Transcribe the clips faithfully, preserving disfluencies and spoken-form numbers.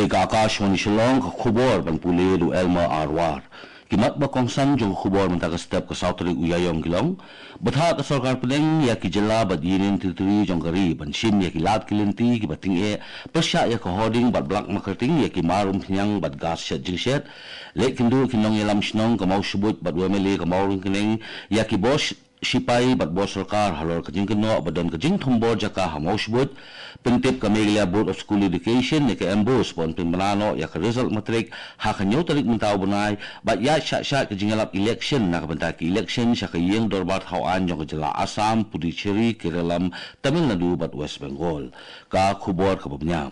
Ka Akashvani Shillong, ka khubor ban pule da u Elmer Arwar. Ki mat ba kongsan jong ka khubor mynta ka step, ka saw tarik u Ïaïong ki long: Bthah ka sorkar pdeng ïa ki jylla bad Union Territory jong ka ri ban shim ïa ki lad ki lynti kiba tyngeh pyrshah ïa ka hoarding bad black marketing ïa ki mar umphniang bad gas shet jingshet. Leit kynduh ki nongïalam shnong ka Mawshbuit bad u M L A ka Mawryngkneng ïa ki bor sh-, shipai bad bor sorkar halor ka jingkynnoh ba don ka jingthombor jaka ha Mawshbuit. Pyntip ka Meghalaya Board of School Education ïa ka MBOSE ban pynbna noh ïa ka result matric ha ka hynñiew tarik mynta u bnai, bad ïaid shah shah ka jingïalap election na ka bynta ki election sha ka ïing dorbar thaw aiñ jong ka jylla Assam, Puducherry, Kerala, Tamil Nadu bad West Bengal. Ka khubor kaba bniah.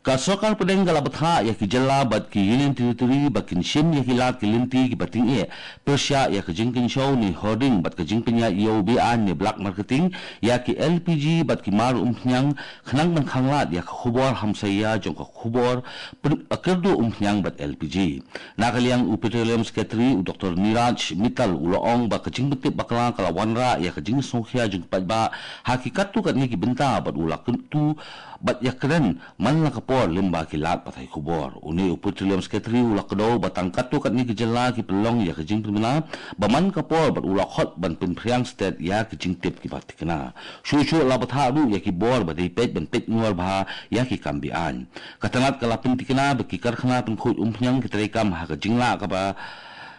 Ka sorkar pdeng ka la bthah ïa ki jylla bad ki Union Territory ba kin shim ïa ki lad ki lynti kiba tyngeh pyrshah ïa ka jingkynshew ne hoarding bad ka jingpynïaid ïew be-aiñ ne black marketing ïa ki L P G bad ki mar umphniang, khnang ban khanglad ïa ka khubor hamsaïa jong ka khubor pyn-, kyrduh umphniang bad L P G. Na ka liang u Petroleum Secretary u Doktor Neeraj Mittal u la ong ba ka jingpyntip bakla ka la wanrah ïa ka jingsngewkhia jong ki paidbah ha ki katto katne ki bynta bad u la kyntu bad ïakren man la ka por lyngba ki lad pathai khubor. Une u Petroleum Secretary u la kdew ba tang katto katne ki jylla ki pynlong ïa ka jingpynbna ba man ka por bad u la khot ban pynphriang stet ïa ki jingtip kiba thikna. Shuh shuh la bthah ruh ïa ki bor ba dei peit ban peit ngor bha ïa ki kam be-aiñ. Ka tnat ka la pynthikna ba ki karkhana pynkhuid umphniang ki treikam ha ka jinglah kaba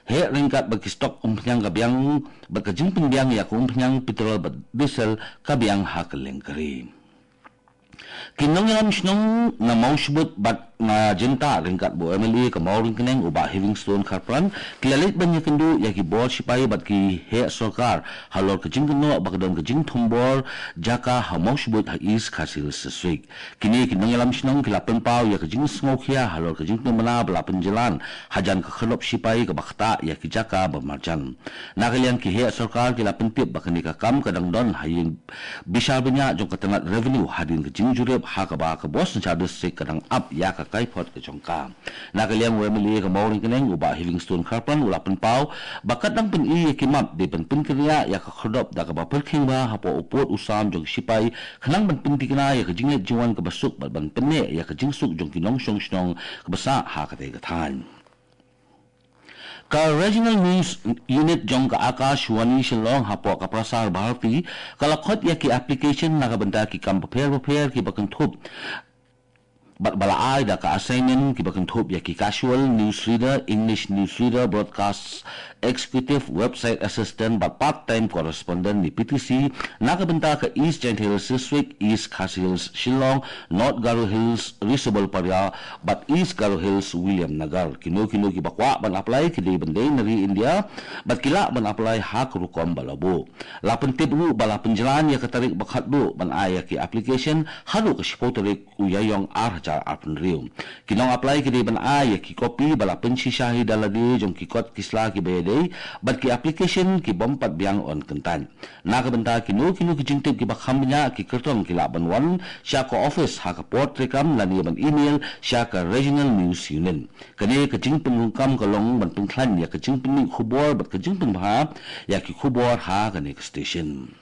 heh ryngkat bad ki stock umphniang ka biang bad ka jingpynbiang ïa ka umphniang petrol bad diesel ka biang ha kylleng ka ri. Ki nongïalam shnong na Mawshbuit bad na Jyntah ryngkat bad u M L A ka Mawryngkneng u Bah Heavingstone Kharpran ki la leit ban ïakynduh ïa ki bor shipai bad ki heh sorkar halor ka jingkynnoh ba ka don ka jingthombor jaka ha Mawshbuit ha East Khasi Hills District. Kine ki nongïalam shnong ki la pynpaw ïa ka jingsngewkhia halor ka jingpynbna ba la pynjlan hajan ka khyrdop shipai kaba ktah ïa ki jaka ba marjan. Na ka liang ki heh sorkar ki la pyntip ba kane ka kam ka dang don ha ïing bishar bniah jong ka tnat revenue hadien ka jingjurip ha kaba ka bor synshar district ka dang ap ïa ka kaiphod ka jong ka. Na ka liang u M L A ka Mawryngkneng u Bah Heavingstone Kharpran u la pynpaw ba ka dang pyni ïa ki map dei ban pynkynriah ïa ka khyrdop da kaba pyrkhing bha hapoh u pud u sam jong ki shipai khnang ban pynthikna ïa ka jingleit jingwan kaba suk bad ban pynneh ïa ka jingsuk jong ki nongshong shnong kaba sah ha katei ka thaiñ. Ka Regional News Unit jong ka Akashvani Shillong hapoh ka Prasar Bharati ka la khot ïa ki application na ka bynta ki kam bapher bapher kiba kynthup bad ba la ai da ka assignment kiba kynthup ïa ki casual news reader, English news reader, broadcast executive, website assistant bad part time correspondent ne P T C na ka bynta ka East Jaintia Hills District, East Khasi Hills Shillong, North Garo Hills Ri Subelparia bad East Garo Hills Williamnagar. Kino kino kiba kwah ban apply ki dei ban dei na ri India bad ki lah ban apply ha ka rukom ba la buh. La pyntip ruh ba la pynjlan ïa ka tarik ba khatduh ban ai ïa ki application haduh ka shiphew tarik u Ïaïong ar hajar arphew hynriew. Ki nong apply ki dei ban ai ïa ki copy ba la pynshisha hi da lade jong ki kot ki sla kiba ïadei bad ki application ki bym pat biang yn kyntait. Na ka bynta kino kino ki jingtip kiba kham bniah, ki kyrtong ki lah ban wan sha ka office ha ka por treikam lane ban email sha ka Regional News Unit. Kane ka jingpynrung kam ka long ban pynkhlaiñ ïa ka jingpynmih khubor bad ka jingpynbha ïa ki khubor ha kane ka station.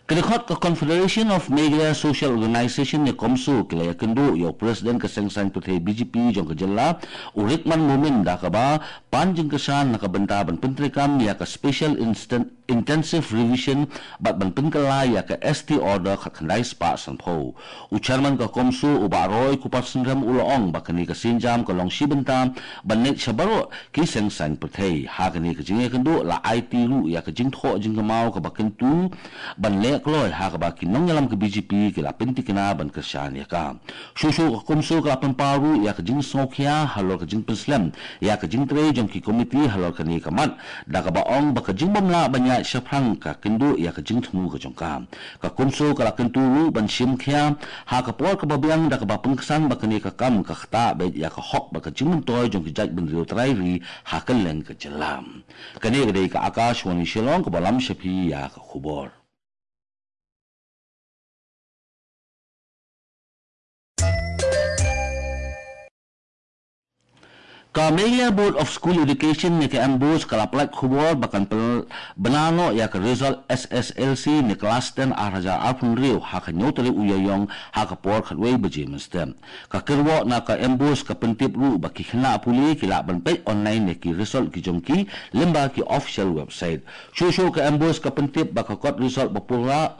Ka dkhot ka Confederation of Meghalaya Social Organisation ne CoMSO ki la ïakynduh ïa u President ka seng saiñ pyrthei B J P jong ka jylla u Rikman Momin da kaba pan jingkyrshan na ka bynta ban pyntreikam ïa ka Special Instant Intensive Revision bad ban pynkylla ïa ka S T Order khatkhyndai spah sanphew. U Chairman ka CoMSO u Bah Roy Kupar Synrem u la ong ba kane ka sienjam ka long shi bynta ban leit sha baroh ki seng saiñ pyrthei. Ha kane ka jingïakynduh la aiti ruh ïa ka jingthoh jingkynmaw kaba kyntu ban leh kloi ha kaba ki nongïalam ka B J P ki la pynthikna ban kyrshan ïa ka. Shuh shuh ka CoMSO ka la pynpaw ruh ïa ka jingsngewkhia halor ka jingpynslem ïa ka jingtrei jong ki komiti halor kane ka mat da kaba ong ba ka jingbymlah ban ïaid shaphrang ka kynduh ïa ka jingthmu ka jong ka. Ka CoMSO ka la kyntu ruh ban shim khia ha ka por kaba biang da kaba pynksan ba kane ka kam ka ktah beit ïa ka hok bad ka jingmyntoi jong ki jaitbynriew trai ri ha kylleng ka jylla. Kane ka dei ka Akashvani Shillong kaba lam sha phi ïa ka khubor. Ka Meghalaya Board of School Education ne ka MBOSE ka la pynlait khubor ba kan pynbna noh ïa ka result SSLC ne ka klas ten ar hajar arphew hynriew ha ka hynñiew tarik u Ïaïong ha ka por khatwei baje mynstep. Ka kyrwoh na ka MBOSE ka pyntip ruh ba ki khynnah pule ki lah ban peit online ïa ki result ki jong ki lyngba ki official website. Shuh shuh ka MBOSE ka pyntip ba ka kot result ba pura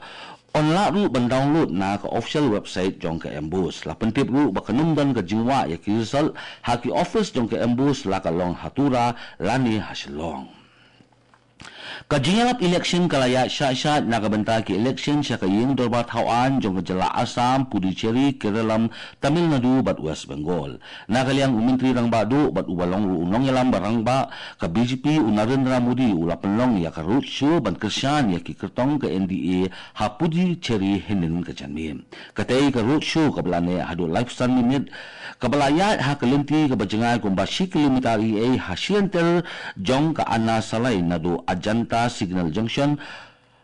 yn lah ruh ban download na ka official website jong ka MBOSE. La pyntip ruh ba kan ym don ka jingwah ïa ki result ha ki office jong ka MBOSE, la ka long ha Tura lane ha Shillong. Ka jingïalap election ka la ïaid shah shah na ka bynta ki election sha ka ïing dorbar thaw aiñ jong ka jylla Assam, Puducherry, Kerala, Tamil Nadu bad West Bengal. Na ka liang u Myntri Rangbah Duh bad uba long ruh u nongïalam ba rangbah ka BJP u Narendra Modi u la pynlong ïa ka roadshow ban kyrshan ïa ki kyrtong ka NDA ha Puducherry hynnin ka janmiet. Katei ka roadshow kaba la neh haduh laiphew san minit, kaba la ïaid ha ka lynti kaba jngai kumba shi kilometer eiei ha shi lynter jong ka Anna Salai, naduh Ajanta Signal Junction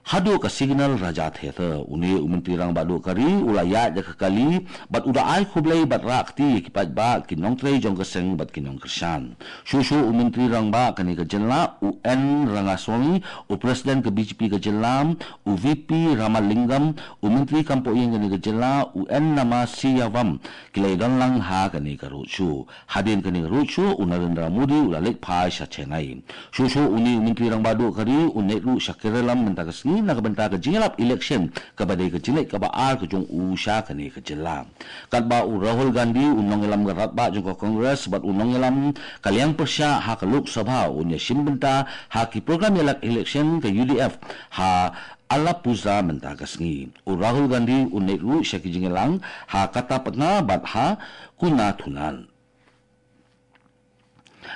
haduh ka Signal Raja Theatre. Une u Myntri Rangbah Duh ka ri u la ïaid ïa ka kali bad u da ai khublei bad rah kti ïa ki paidbah, ki nongtrei jong ka seng bad ki nongkyrshan. Shuh shuh u Myntri Rangbah kane ka jylla u N Rangaswamy, u President ka BJP ka jylla, u VP Ramalingam, u Myntri kam poh ïing kane ka jylla u N Namashivaram, ki la ïadon lang ha kane ka roadshow. Hadien kane ka roadshow u Narendra Modi u la leit phai sha Chennai. Shuh shuh une u Myntri Rangbah Duh ka ri un leit ruh sha Kerala mynta ka sngi na ka bynta ka jingïalap election kaba dei ka jingleit kaba ar ka jong u sha kane ka jylla. Katba u Rahul Gandhi u nongïalam ka rangbah jong ka Congress bad u nongïalam ka liang pyrshah ha ka Lok Sabha un ïashim bynta ha ki program ïalap election ka UDF ha Alappuzha mynta ka sngi. U Rahul Gandhi un leit ruh sha ki jingïalang ha Kattapatta bad ha Kunathunan.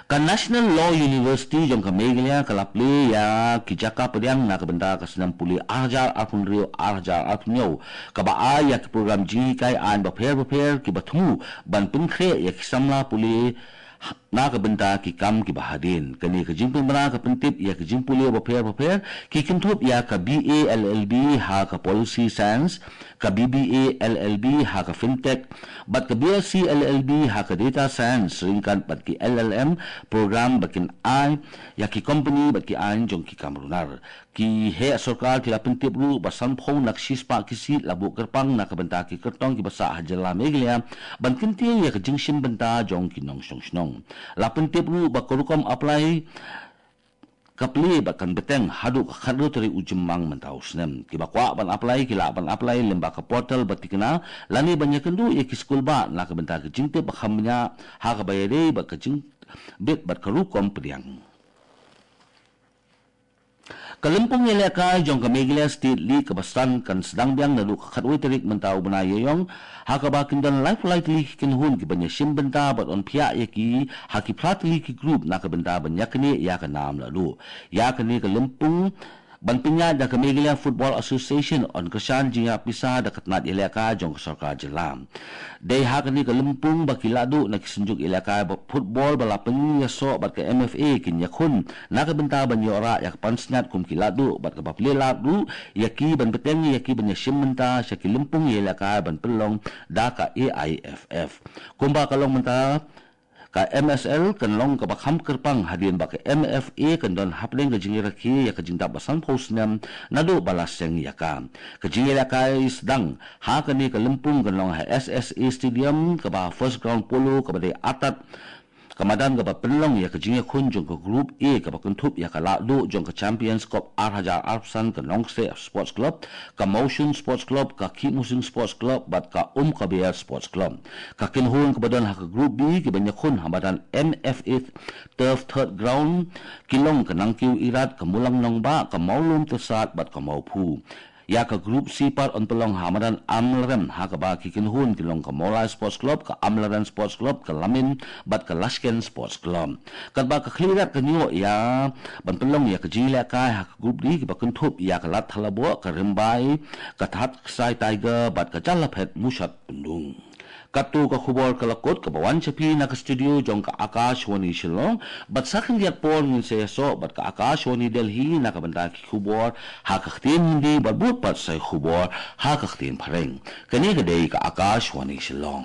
Ka National Law University jong ka Meghalaya ka la plie ïa ki jaka pdiang na ka bynta ka snem pule ar hajar arphew hynriew ar hajar arphew hynñiew, kaba ai ïa ki program jinghikai aiñ bapher bapher kiba thmu ban pynkhreh ïa ki samla pule na ka bynta ki kam kiba hadien. Kane ka jingpynbna ka pyntip ïa ki jingpule bapher bapher ki kynthup ïa ka BA LLB ha ka Policy Science, ka BBA LLB ha ka Fintech, bad ka BSc LLB ha ka Data Science, ryngkat bad ki LLM program ba kin ai ïa ki company bad ki aiñ jong ki kam runar. Ki heh sorkar ki la pyntip ruh ba sanphew na ka shispah ki seat la buh kyrpang na ka bynta ki kyrtong kiba sah ha jylla Meghalaya ban kyntiew ïa ka jingshim bynta jong ki nongshong shnong. La pyntip ruh ba ka rukom apply ka plie bad kan bteng haduh ka khathynriew tarik u Jymmang mynta u snem. Kiba kwah ban apply ki lah ban apply lyngba ka portal ba thikna lane ban ïakynduh ïa ki skul bah na ka bynta ka jingtip ba kham bniah ha kaba ïadei bad ka jingbit bad ka rukom pdiang. Ka lympung ïalehkai jong ka Meghalaya State League kaba san kan sdang biang naduh ka khatwei tarik mynta u bnai Ïaïong, ha kaba kin don laiphew lai tylli ki kynhun kiban ïashim bynta bad yn phiah ïa ki ha ki phra tylli ki group na ka bynta ban ïaknieh ïa ka nam lahduh. Ïa kane ka lympung ban pynïaid da ka Meghalaya Football Association yn kyrshan jingïarap pisa da ka tnat ïalehkai jong ka sorkar jylla. Dei ha kane ka lympung ba ki lahduh na ki synjuk ïalehkai ba football ba la pynïasoh bad ka MFA kin ïakhun na ka bynta ban ïoh rah ïa ka pansngiat kum ki lahduh bad kaba plie lad ruh ïa ki ban bteng ïa ki ban ïashim bynta sha ki lympung ïalehkai ban pynlong da ka AIFF. Kumba ka long mynta, ka MSL kan long kaba kham kyrpang hadien ba ka MFA kan don hapdeng ka jingrakhe ïa ka jingdap ba sanphew snem naduh ba la seng ïa ka. Ka jingïalehkai sdang ha kane ka lympung kan long ha SSA Stadium kaba First Ground Polo kaba dei artat ka madan kaba pynlong ïa ka jingïakhun jong ka Group A kaba kynthup ïa ka lahduh jong ka Champions Cup ar hajar arphew san, ka Nongkseh Sports Club, ka Mawshun Sports Club, ka Khihmusing Sports Club bad ka Umkaber Sports Club. Ka kynhun kaba don ha ka Group B kiban ïakhun ha madan MFA Turf Third Ground ki long ka Nangkiew Irat, ka Mulang Nongbah, ka Mawlum Tyrsad bad ka Mawphu. Ïa ka Group C pat yn pynlong ha madan Amlarem ha kaba ki kynhun ki long ka Mawlai Sports Club, ka Amlarem Sports Club, ka Lamin bad ka Lashken Sports Club. Katba ka Khliehriat kan ïoh ïa ban pynlong ïa ka jingïalehkai ha ka Group D kiba kynthup ïa ka Ladthadlaboh, ka Rymbai, ka Thadksai Tiger bad ka Jyllaphet Mushatpyndung. Katto ka khubor ka la kut kaba wan sha phi na ka studio jong ka Akashvani Shillong, bad sa khyndiat por ngin sa ïasoh bad ka Akashvani Delhi na ka bynta ki khubor ha ka ktien Hindi bad bud pat sa ki khubor ha ka ktien Phareng. Kane ka dei ka Akashvani Shillong.